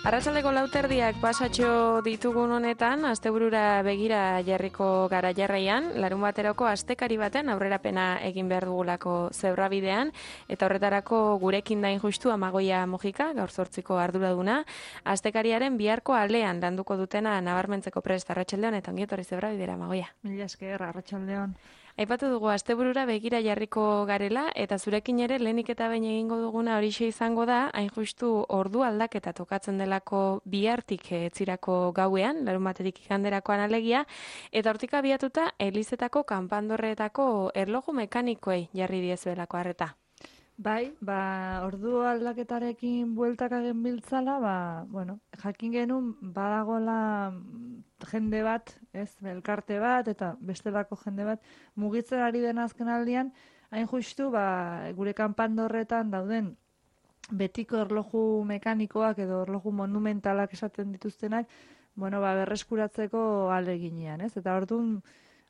Arratsaldeko 4:00 pasatxo ditugun honetan, asteburura begira jarriko gara jarraian, larun baterako astekari baten aurrerapena egin behar dugulako zebrabidean, eta horretarako gurekin da injustu Amagoia Mujika, gaur 8ko arduraduna, astekariaren biharko alean landuko dutena nabarmentzeko prest. Arratsaldeon eta ongi etorri zebrabidera, Amagoia. Mila esker, arratsaldeon. Aipatu dugu asteburura begira jarriko garela, eta zurekin ere lehenik eta behin egingo duguna horixe izango da, hain justu ordu aldaketa tokatzen delako bihartik etzirako gauean, larun batetik iganderakoan alegia, eta hortik abiatuta Elizetako kanpandorreetako erloju mekanikoei jarri diezuelako arreta. Bai, ordu aldaketarekin bueltaka genbiltzala, jakin genuen badagola jende bat, elkarte bat, eta bestelako jende bat, mugitzen ari den azken aldian, hain justu, gure kanpandorretan dauden betiko erloju mekanikoak edo erloju monumentalak esaten dituztenak, berreskuratzeko aleginean, ez? Eta orduan,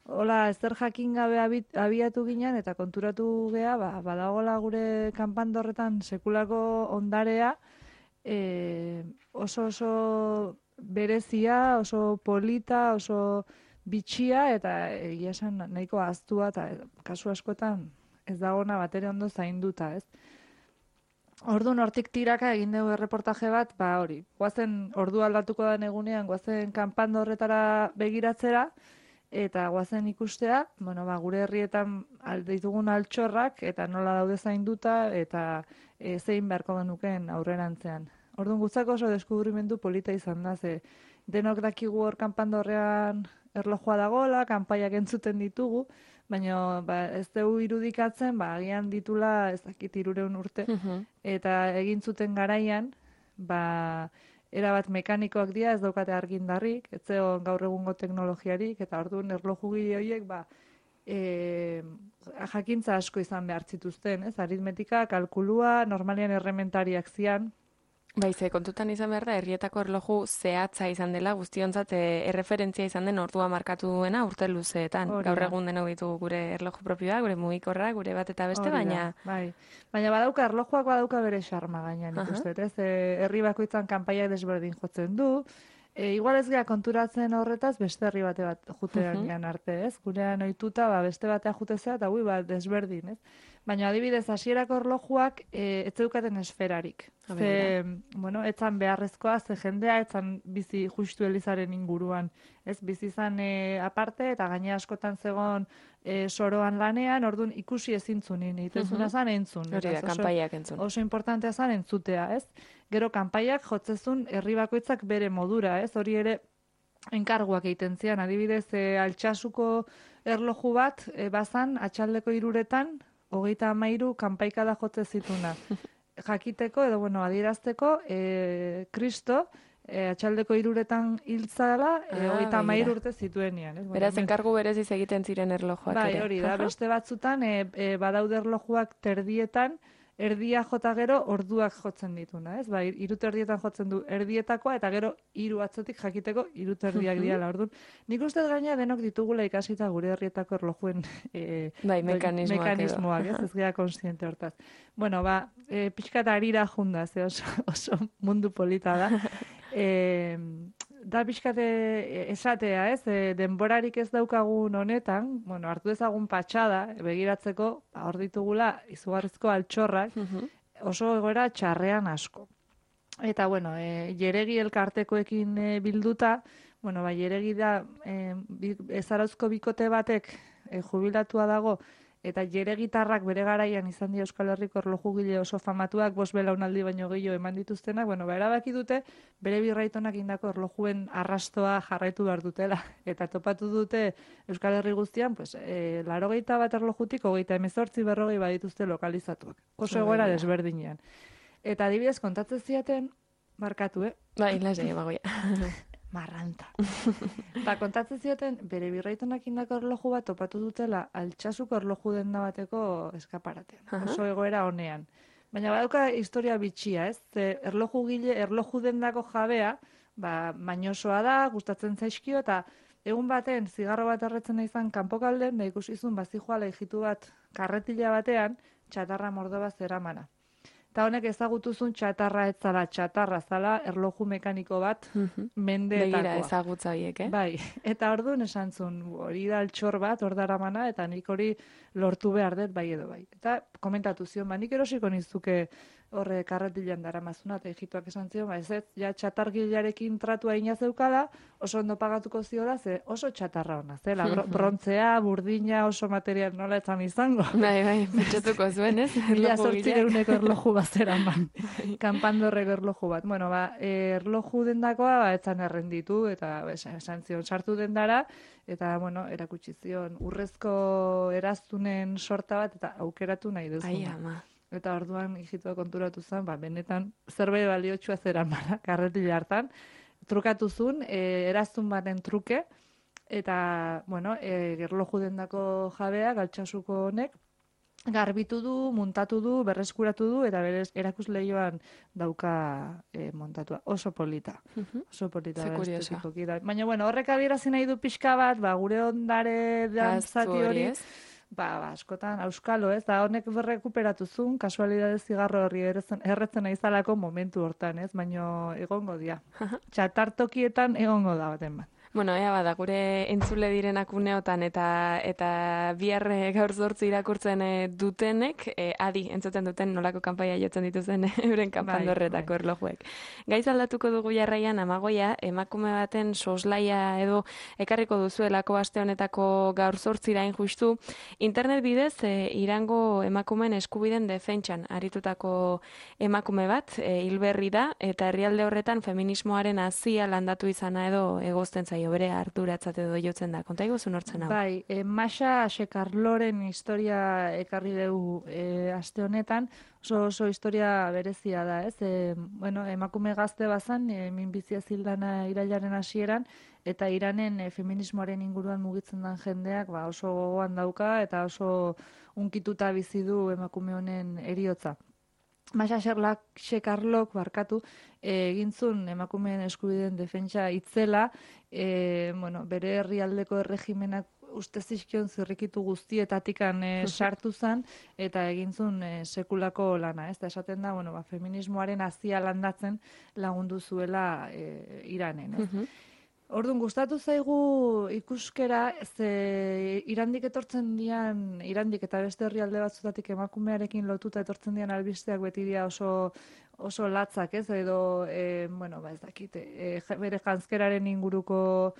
hola, ezer jakin gabe abiatu ginen eta konturatu gea, badagola gure kanpandorretan sekulako ondarea, oso berezia, oso polita, oso bitxia, eta egia esan nahiko ahaztua, eta kasu askotan ez dagona batere ondo zainduta, ez? Orduan hortik tiraka egin dugu erreportaje bat, guazen ordu aldatuko den egunean, guazen kanpandorretara begiratzera, eta guazen ikustea, gure herrietan ditugun altxorrak, eta nola daude zainduta, eta zein beharko genuken aurrerantzean. Orduan gutzako oso deskubrimendu polita izan da, ze denok dakigu hor kanpandorrean erlojua dagoela, kanpaiak entzuten ditugu, baina ez dugu irudikatzen, agian ditula ez dakit 300 urte, eta egin zuten garaian, erabat mekanikoak dira, ez daukate argindarrik, ez zegoen gaur egungo teknologiarik, eta orduan erlojugile horiek jakintza asko izan behar zituzten, ez? Aritmetika, kalkulua, normalian errementariak zian. Baize, kontutan izan behar da, herrietako erloju zehatza izan dela, guztiontzat erreferentzia izan den ordua markatu duena urte luzeetan. Gaur egun denok ditugu gure erloju propioa, gure mugikorra, gure bat eta beste, baina... Baina badauka, erlojuak badauka bere xarma gainean ikustet, ez? Herri bakoitzan kanpaiak desberdin jotzen du, igual ez gara konturatzen horretaz beste herri bate bat jutean arte, ez? Gurean ohituta beste batea jutezea eta desberdin, ez? Baina adibidez, hasierako erlojuak ez zeukaten esferarik. Etzan beharrezkoa, ze jendea etzan bizi justu Elizaren inguruan. Ez bizi izan aparte eta gaine askotan zegoen soroan lanean, orduan ikusi ezintzunin, itezuna zan entzun. Hori da, kanpaiak entzun. Oso importantea zan entzutea, ez? Gero kanpaiak jotzezun herri bakoitzak bere modura, ez? Hori ere enkarguak egiten zian, adibidez, Altsasuko erloju bat, bazan, atxaldeko 3:00 33 kanpaikada jotze zituna. Jakiteko, edo adierazteko, Kristo, atxaldeko 3:00 hiltzala, 33 urte zituenian. Beraz, enkargu bereziz egiten ziren erlojuak ere. Bai, hori da, beste batzutan, badaude erlojuak terdietan, erdia jota gero orduak jotzen dituna, ez? 3:00 jotzen du erdietakoa, eta gero 3 atzotik jakiteko 3:00 diala, orduan. Nik uste gaina denok ditugula ikasita gure herrietako erlojuen mekanismoak, ez gara konsiente hortaz. Pixka eta harira junda, ze oso mundu polita da. Da pixkate esatea, ez? Denborarik ez daukagun honetan, hartu ezagun patxada, begiratzeko, hor ditugula izugarrizko altxorrak, oso egoera txarrean asko. Eta, jeregi elkartekoekin bilduta, jeregi da ezarauzko bikote batek jubilatua dago, eta jeregitarrak bere garaian izan dira Euskal Herriko erlojugile oso famatuak, 5 belaunaldi baino gehiago eman dituztenak, erabaki dute bere birraitonak indako erlojuen arrastoa jarraitu behar dutela. Eta topatu dute Euskal Herri guztian, 81 erlojutik 38 40 badituzte lokalizatuak. Oso egoera desberdinean. Eta adibidez kontatzen ziaten, markatu, Bai, lasai, Amagoia. Marranta. Kontatzen zioten, bere birraitonak indako erloju bat topatu dutela Altsasuko erloju denda bateko eskaparatean. Oso egoera honean. Baina badauka historia bitxia, ez? Erloju dendako jabea, mainosoa da, gustatzen zaizkio, eta egun baten zigarro bat erretzen izan kanpokalden, ikusizun bazijoala hijitu bat karretila batean, txatarra mordo bat zeramana. Eta honek ezagutuzun txatarra ez zala, txatarra zala erloju mekaniko bat mendeetakoa. Begira ezagutza horiek, Bai, eta orduan esan zuen, hori da altxor bat, hor daramana, eta nik hori lortu behar dut bai edo bai. Eta komentatu zion, nik erosiko nizuke horre karretilan daramazuna, eta egituak esan zion, ez ja txatargilarekin tratua ina zeukala, oso ondo pagatuko ziola, ze oso txatarra ona, zela, brontzea, burdina, oso material nola etzan izango. Bai, pentsatuko zuen, ez? Mila zortzireuneko erloju bat zeraman, kanpandorreko erloju bat. Bueno, erloju dendakoa, etzan errenditu, eta esan zion, sartu dendara, eta, bueno, erakutsi zion, urrezko eraztunen sorta bat, eta aukeratu nahi duzuna. Ai, ama. Eta orduan hijitua konturatu zen, benetan zerbait baliotsua zeramana, karretila hartan, trukatu zuen, eraztun baten truke, eta, bueno, erloju dendako jabea, galtsasuko honek, garbitu du, muntatu du, berreskuratu du, eta berez erakusleioan dauka montatua. Oso polita. Oso polita. Ze kurioso. Baina, bueno, horrek adierazi nahi du pixka bat, gure ondare dantzati hori, askotan, auskalo, ez, da honek berrekuperatu zuen, kasualidade zigarro horri erretzen naizalako momentu hortan, ez, baino egongo dia. Txatartokietan egongo da baten bat. Bueno, ea bada, gure entzule direnak uneotan eta bihar gaur 8 irakurtzen dutenek, adi, entzuten duten nolako kanpaia jotzen dituzen euren kanpandorretako erlojuek. Gaiz aldatuko dugu jarraian, Amagoia, emakume baten soslaia edo ekarriko duzuelako aste honetako gaur 8 irain justu, internet bidez Irango emakumeen eskubiden defentsan aritutako emakume bat, hilberri da, eta herrialde horretan feminismoaren hazia landatu izana edo egozten zaio bere arduratzat edo jotzen da. Konta iguzu nortzen hau? Bai, Masha Shekarloren historia ekarri dugu aste honetan, oso historia berezia da, ez? Bueno, emakume gazte bazan, minbizia zildana irailaren hasieran, eta Iranen feminismoaren inguruan mugitzen den jendeak oso gogoan dauka, eta oso unkituta bizi du emakume honen heriotza. Masha Shekarlok barkatu, egintzun emakumeen eskubideen defentsa itzela, bueno, bere herrialdeko erregimenak uste zizkion zirrikitu guztietatikan sartu zen, eta egintzun sekulako lana, ez da esaten da, bueno, feminismoaren hazia landatzen lagundu zuela Iranen, ez? Orduan, gustatu zaigu ikuskera, Irandik etortzen dian, Irandik eta beste herrialde batzutatik emakumearekin lotuta etortzen dian albisteak beti dira oso latzak, ez? Edo, bueno, ez dakit, bere janzkeraren inguruko,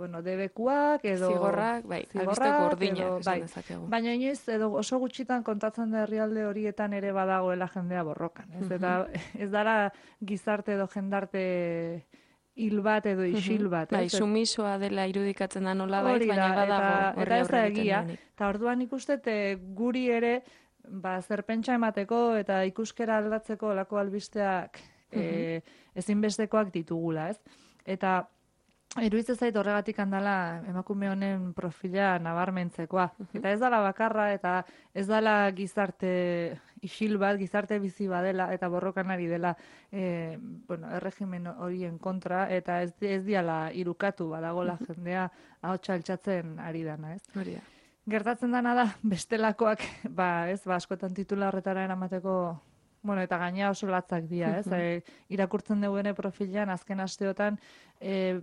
bueno, debekuak, edo... Zigorrak, bai, albiste gordinak, esan dezakegu. Baina inoiz, edo oso gutxitan kontatzen da herrialde horietan ere badagoela jendea borrokan, ez? Eta ez dara gizarte edo jendarte... hil bat edo isil bat. Bai, sumisoa dela irudikatzen da nola baita, baina badago eta ez da egia. Eta orduan ikustet guri ere zer pentsa emateko eta ikuskera aldatzeko lako albisteak ezinbestekoak ditugula, ez? Eta iruditzen zait horregatik handala emakume honen profila nabarmentzekoa. Eta ez dala bakarra eta ez dala gizarte isil bat, gizarte bizi badela eta borrokan ari dela bueno, erregimen horien kontra eta ez diala irukatu badagola jendea ahotsa altxatzen ari dana, ez? Hori da. Gertatzen dana da bestelakoak, askotan titula horretara eramateko, bueno, eta gaina oso latzak dira, ez? Irakurtzen dugu profilean azken asteotan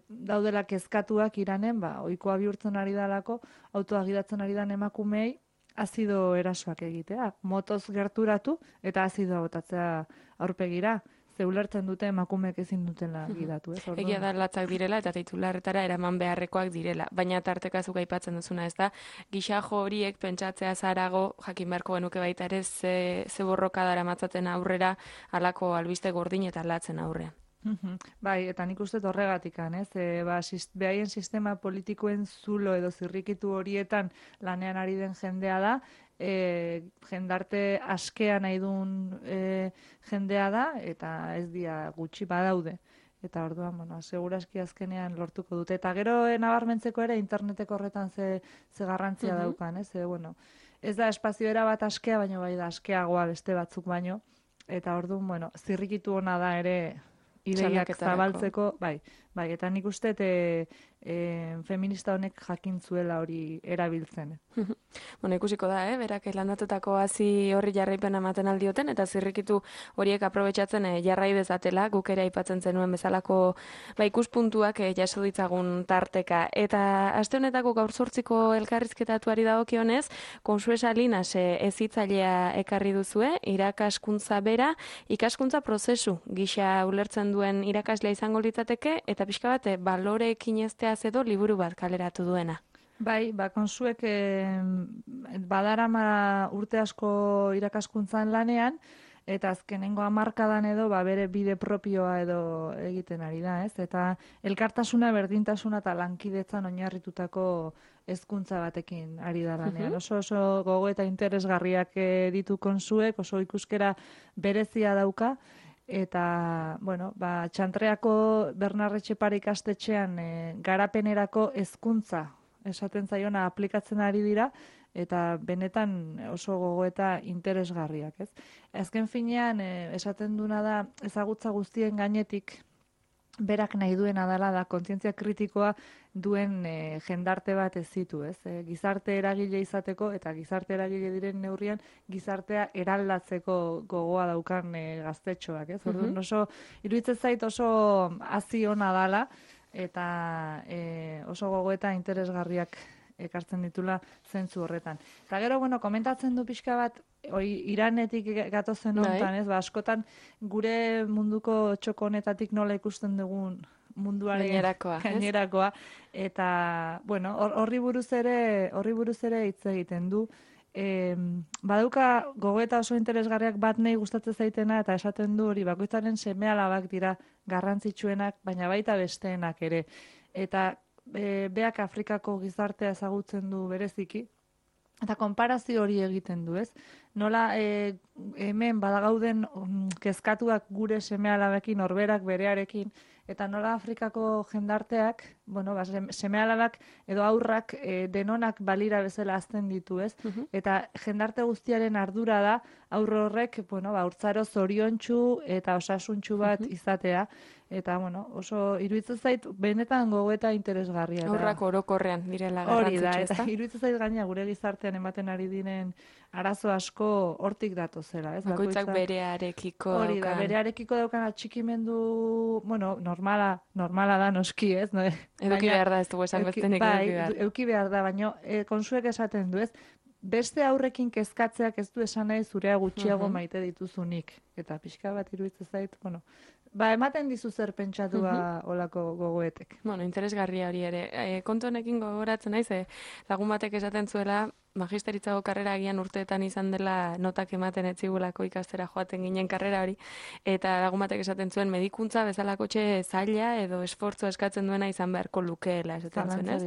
daudela kezkatuak Iranen, ohikoa bihurtzen ari dalako, autoa gidatzen ari dan emakumei azido erasoak egitea, motoz gerturatu eta azidoa botatzea aurpegira. Ze ulertzen dute emakumeek ezin dutela gidatu, ez? Egia da latzak direla eta titularretara eraman beharrekoak direla, baina tartekazuk aipatzen duzuna, ez da, gixajo horiek pentsatzea zarago, jakin beharko genuke baita ere ze borroka daramatzaten aurrera halako albiste gordin eta latzen aurrean. Bai, eta nik uste horregatikan, ez? Behaien sistema politikoen zulo edo zirrikitu horietan lanean ari den jendea da, jendarte askea nahi duen jendea da, eta ez dia gutxi badaude. Eta orduan, bueno, segurazki azkenean lortuko dute. Eta gero nabarmentzeko ere interneteko horretan ze garrantzia daukan, ez? Bueno, ez da espazioera bat askea, baina bai da askeagoa beste batzuk baino. Eta orduan, bueno, zirrikitu ona da ere ideiak zabaltzeko, bai, Bai, eta nik uste feminista honek jakintzuela hori erabiltzen. Bueno, ikusiko da, berak landatutako hazi horri jarraipena ematen aldioten, eta zirrikitu horiek aprobetxatzen jarrai dezatela, guk ere aipatzen zenuen bezalako ikuspuntuak jaso ditzagun tarteka. Eta aste honetako gaur 8ko elkarrizketatuari dagokionez, Consue Salinas hezitzailea ekarri duzue, irakaskuntza bera, ikaskuntza prozesu gisa ulertzen duen irakaslea izango litzateke, eta pixka bat baloreekin ezteaz edo liburu bat kaleratu duena. Bai, Consuek badarama urte asko irakaskuntzan lanean, eta azkenengo hamarkadan edo bere bide propioa edo egiten ari da, ez? Eta elkartasuna, berdintasuna eta lankidetzan oinarritutako hezkuntza batekin ari da lanean. Oso gogo eta interesgarriak ditu Consuek, oso ikuskera berezia dauka, eta, Txantreako Bernardo Etxepare ikastetxean garapenerako hezkuntza esaten zaiona aplikatzen ari dira, eta benetan oso gogo eta interesgarriak, ez? Azken finean, esaten duna da, ezagutza guztien gainetik, berak nahi duena dela da, kontzientzia kritikoa duen jendarte bat ez zitu, ez? Gizarte eragile izateko, eta gizarte eragile diren neurrian, gizartea eraldatzeko gogoa daukan gaztetxoak, ez? Orduan oso, iruditzen zait oso hazi ona dala, eta oso gogo eta interesgarriak ekartzen ditula zentzu horretan. Eta gero, komentatzen du pixka bat, Iranetik gatozen honetan, ez? Askotan gure munduko txoko honetatik nola ikusten dugun munduaren gainerakoa, eta, horri buruz ere hitz egiten du. Badauka gogoeta oso interesgarriak bat nahi gustatzen zaitena, eta esaten du hori bakoitzaren seme-alabak dira garrantzitsuenak, baina baita besteenak ere. Eta beak Afrikako gizartea ezagutzen du bereziki, eta konparazio hori egiten du, ez? Nola hemen badagauden kezkatuak gure seme-alabekin, norberak berearekin, eta nola Afrikako jendarteak, seme-alabak edo aurrak denonak balira bezala hazten ditu, ez? Eta jendarte guztiaren ardura da, aurro horrek, haurtzaro zoriontsu eta osasuntsu bat izatea, eta, oso iruditzen zait, benetan gogoeta interesgarria. Aurrak orokorrean direla garrantzitsu, hori da, eta iruditzen zait gaina gure gizartean ematen ari diren arazo asko hortik datozela, ez? Bakoitzak berearekiko hori da, berearekiko daukan atxikimendu, normala da noski, ez? Eduki behar da, ez dugu esan bestenik eduki behar. Eduki behar da, baina Consuek esaten du, ez? Beste aurrekin kezkatzeak ez du esan nahi zurea gutxiago maite dituzunik. Eta pixka bat iruditzen zait, ematen dizu zer pentsatua olako gogoetek. Interesgarria hori ere. Kontu honekin gogoratzen naiz, lagun batek esaten zuela, magisteritzago karrera agian urteetan izan dela notak ematen etzigulako ikastera joaten ginen karrera hori, eta lagun batek esaten zuen medikuntza bezalako zaila edo esfortzua eskatzen duena izan beharko lukeela esaten zuen, ez?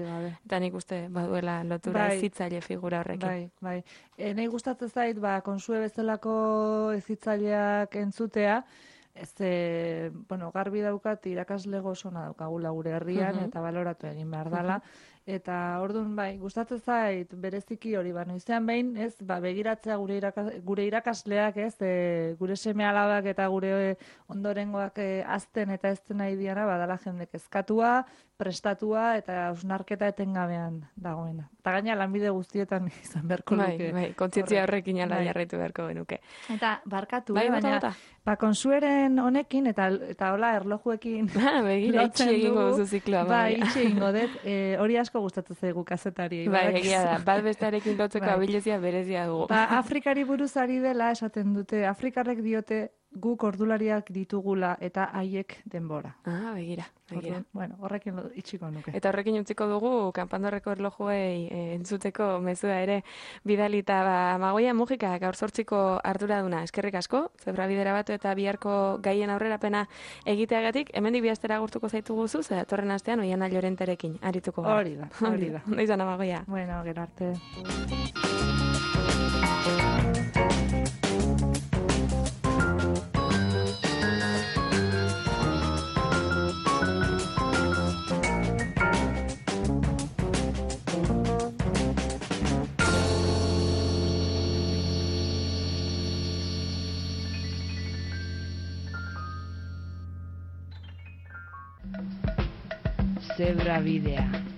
Eta nik uste baduela lotura hezitzaile figura horrekin. Bai. Nahi gustatzen zait, Consue bezalako hezitzaileak entzutea, garbi daukat irakasle gozona daukagula gure herrian, eta baloratu egin behar dela. Eta orduan, gustatzen zait bereziki hori, noizean behin, ez, begiratzea gure irakasleak, ez, gure seme-alabak eta gure ondorengoak azten eta ezten nahi diana, badala jende kezkatua, prestatua eta hausnarketa etengabean dagoena. Eta gaina lanbide guztietan izan beharko luke. Bai, kontzientzia horrekin ala jarraitu beharko genuke. Eta barkatu, baina Consueren honekin eta hola erlojuekin begira, itxi egingo duzu zikloa. Bai, itxi egingo dut, hori asko gustatzen zaigu kazetari. Bai, egia da, bat bestarekin lotzeko abilezia berezia dugu. Afrikari buruz ari dela esaten dute, Afrikarrek diote guk ordulariak ditugula eta haiek denbora. Begira. Horrekin itxiko nuke. Eta horrekin utziko dugu, kanpandorreko erlojuei entzuteko mezua ere bidalita. Magoia Mujika, gaur 8ko arduraduna, eskerrik asko, Zebrabidera batu eta biharko gaien aurrerapena egiteagatik, hemendik bihaztera agurtuko zaituguzu, datorren astean Oiana Llorenterekin arituko gara. Hori da. Ondo izan, Magoia. Gero arte. Zebra bidea.